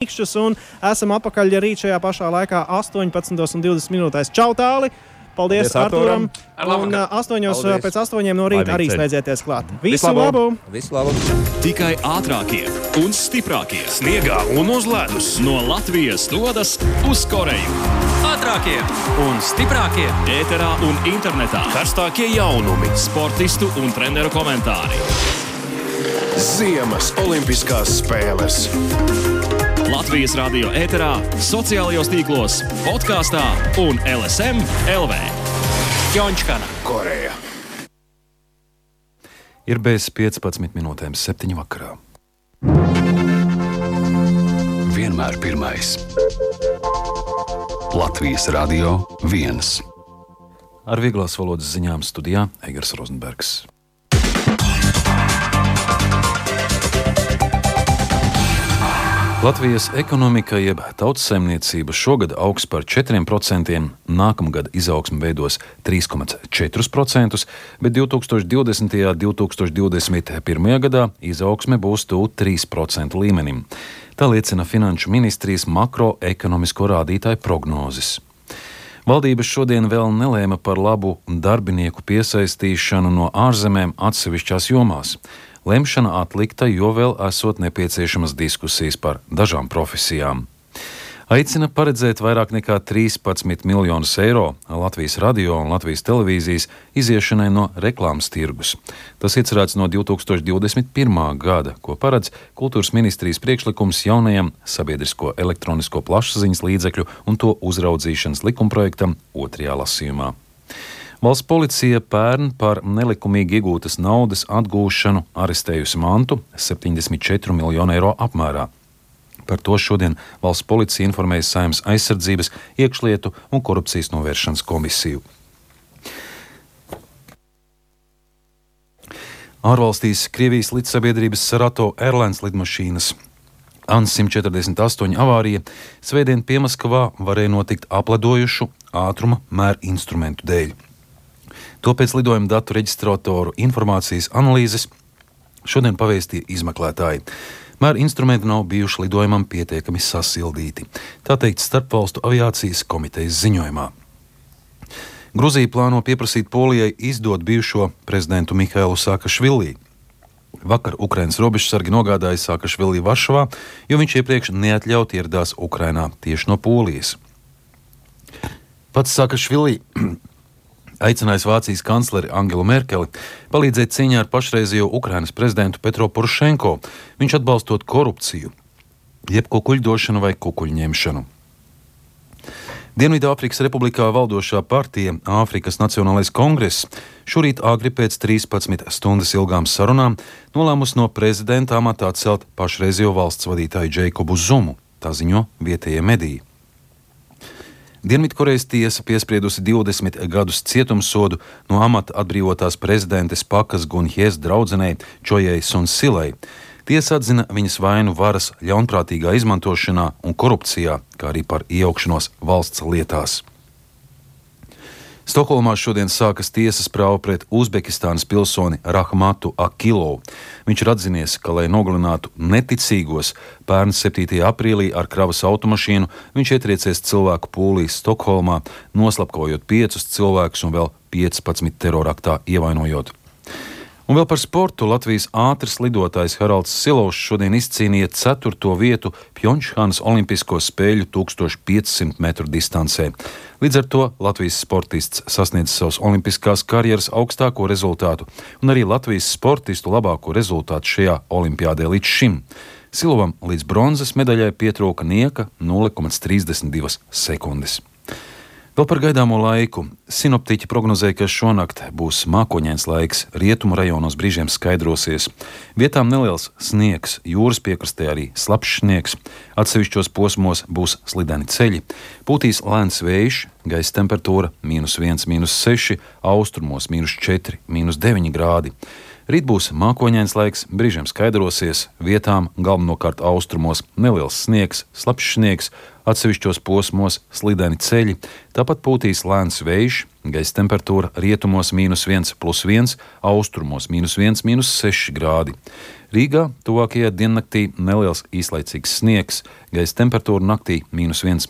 Mikšķus un esam apakaļ rīt šajā pašā laikā 18:20. Čau, Tāli! Paldies Artūram! Un 8:00 no rīta arī slēdzieties klāt. Visu labu! Visu labu! Tikai ātrākie un stiprākie sniegā un uz ledus no Latvijas dodas uz Koreju. Ātrākie un stiprākie Ēterā un internetā karstākie jaunumi, sportistu un treneru komentāri. Ziemas Olimpiskās spēles. Latvijas radio ēterā, sociālajos tīklos, podkāstā un LSM LV. Pjončkana, Koreja. Ir bez 15 minūtēm 7 vakarā. Vienmēr pirmais. Latvijas radio 1. Ar vieglās valodas ziņām studijā Eigars Rozenbergs. Latvijas ekonomika jeb tautsaimniecība šogad augs par 4%, nākamgad izaugsme veidos 3,4%, bet 2020. un 2021. gadā izaugsme būs tuvu 3% līmenim. Tā liecina Finanšu ministrijas makroekonomisko rādītāju prognozes. Valdības šodien vēl nelēma par labu darbinieku piesaistīšanu no ārzemēm atsevišķās jomās. Lemšana atlikta, jo vēl esot nepieciešamas diskusijas par dažām profesijām. Aicina paredzēt vairāk nekā 13 miljonus eiro Latvijas radio un Latvijas televīzijas iziešanai no reklāmas tirgus. Tas iecerēts no 2021. gada, ko paredz Kultūras ministrijas priekšlikums jaunajam sabiedrisko elektronisko plašsaziņas līdzekļu un to uzraudzīšanas likumprojektam otrajā lasījumā. Valsts policija pērn par nelikumīgi iegūtas naudas atgūšanu arestējusi mantu 74 miljonu eiro apmērā. Par to šodien valsts policija informēja Saeimas aizsardzības, iekšlietu un korupcijas novēršanas komisiju. Ārvalstīs Krievijas lidsabiedrības Sarato Airlines lidmašīnas AN-148 avārija svētdien Piemaskavā varēja notikt apledojušu ātruma mēra instrumentu dēļ. To pēc lidojuma datu reģistratoru informācijas analīzes šodien pavēstīja izmeklētāji. Mēra instrumenti nav bijuši lidojumam pietiekami sasildīti, tā teikt Starpvalstu aviācijas komitejas ziņojumā. Gruzija plāno pieprasīt Polijai izdot bijušo prezidentu Mihailu Saakašvili. Vakar Ukrainas robežsargi nogādāja Saakašvili Varšavā, jo viņš iepriekš neatļauti ieradās Ukrainā tieši no Polijas. Pats Saakašvili aicinājis Vācijas kancleri Angelu Merkeli palīdzēt cīņā ar pašreizējo Ukrainas prezidentu Petro Porošenko, viņš atbalstot korupciju, jeb kukuļdošanu vai kukuļņemšanu. Dienvidāfrikas republikā valdošā partija Āfrikas Nacionālais kongress šorīt agri pēc 13 stundas ilgām sarunām nolēmus no prezidenta amatā atcelt pašreizējo valsts vadītāju Džeikobu Zumu, tā ziņo vietējie mediji. Dienvidkorejas tiesa piespriedusi 20 gadus cietumsodu no amata atbrīvotās prezidentes Pakas Gunhjes draudzenei Čojai Sonsilai. Tiesa atzina viņas vainu varas ļaunprātīgā izmantošanā un korupcijā, kā arī par iejaukšanos valsts lietās. Stokholmā šodien sākas tiesas prāva pret Uzbekistānas pilsoni Rahmatu Akilovu. Viņš ir atzinies, ka, lai nogalinātu neticīgos, pērn 7. aprīlī ar kravas automašīnu viņš ietriecies cilvēku pūlī Stokholmā, noslapkojot 5 cilvēkus un vēl 15 teroraktā ievainojot. Un vēl par sportu Latvijas ātrs lidotājs Haralds Silovs šodien izcīnīja 4. vietu Pjončkanas Olimpisko spēļu 1500 metru distancē. Līdz ar to Latvijas sportists sasniedz savus olimpiskās karjeras augstāko rezultātu un arī Latvijas sportistu labāko rezultātu šajā olimpiādē līdz šim. Silovam līdz bronzas medaļai pietrūka nieka 0,32 sekundes. Vēl par gaidāmo laiku. Sinoptiķi prognozē, ka šonakt būs mākoņains laiks, rietumu rajonos brīžiem skaidrosies. Vietām neliels sniegs, jūras piekrastē arī slapjš sniegs, atsevišķos posmos būs slideni ceļi. Pūtīs lēns vējš, gaisa temperatūra -1, -6, austrumos -4, -9 grādi. Rīt būs mākoņains laiks, brīžiem skaidrosies, vietām galvenokārt austrumos neliels sniegs, slapjš sniegs, atsevišķos posmos slideni ceļi, tāpat pūtīs lēns vējš, gaisa temperatūra rietumos -1, +1, austrumos -1, -6 grādi. Rīgā tuvākajā diennaktī neliels īslaicīgs sniegs, gaisa temperatūra naktī -1,